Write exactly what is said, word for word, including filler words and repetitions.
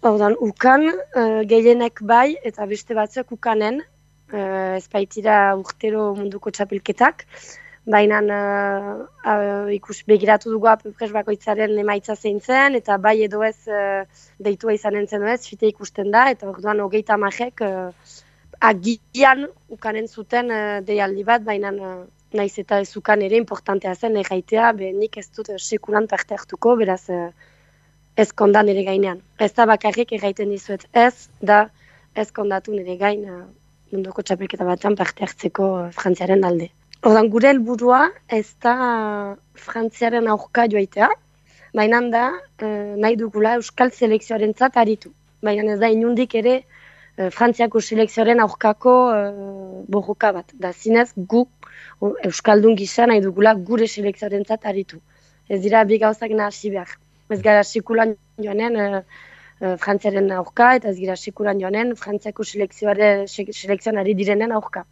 Ordan, ukan, uh, gehienek bai, eta beste batzuk ukanen, uh, ez baitira urtero munduko txapelketak, baina uh, uh, ikus begiratu dugu apupres bakoitzaren emaitza zein zen, eta bai edo ez uh, deitua izanen zen ez, fite ikusten da, eta orduan hogeita majek uh, agian ukanen zuten uh, deialdi bat, baina uh, naiz eta ez ukan ere importantea zen, erraitea, be nik ez dut uh, sekulan parte hartuko, beraz... Uh, ez kondan nire gainean. Ez da bakarrik erraiten dizuet ez, da ez kondatu nire gain uh, munduko txapelketa batean parte hartzeko uh, Frantziaren alde. Ordan gure helburua ez da uh, Frantziaren aurka joaitea, baina da uh, nahi dugula Euskal selekzioarentzat aritu. Baina ez da inundik ere uh, Frantziako selekzioaren aurkako uh, borroka bat. Da zinez gu uh, Euskaldun gisa nahi dugula gure selekzioarentzat aritu. Ez dira bi gauzak nahasi behar. Ez gara sekulan joanen uh, uh, Frantziaren aurka, eta ez gara sekulan joanen Frantziako selekzioaren selekzionari direnen aurka.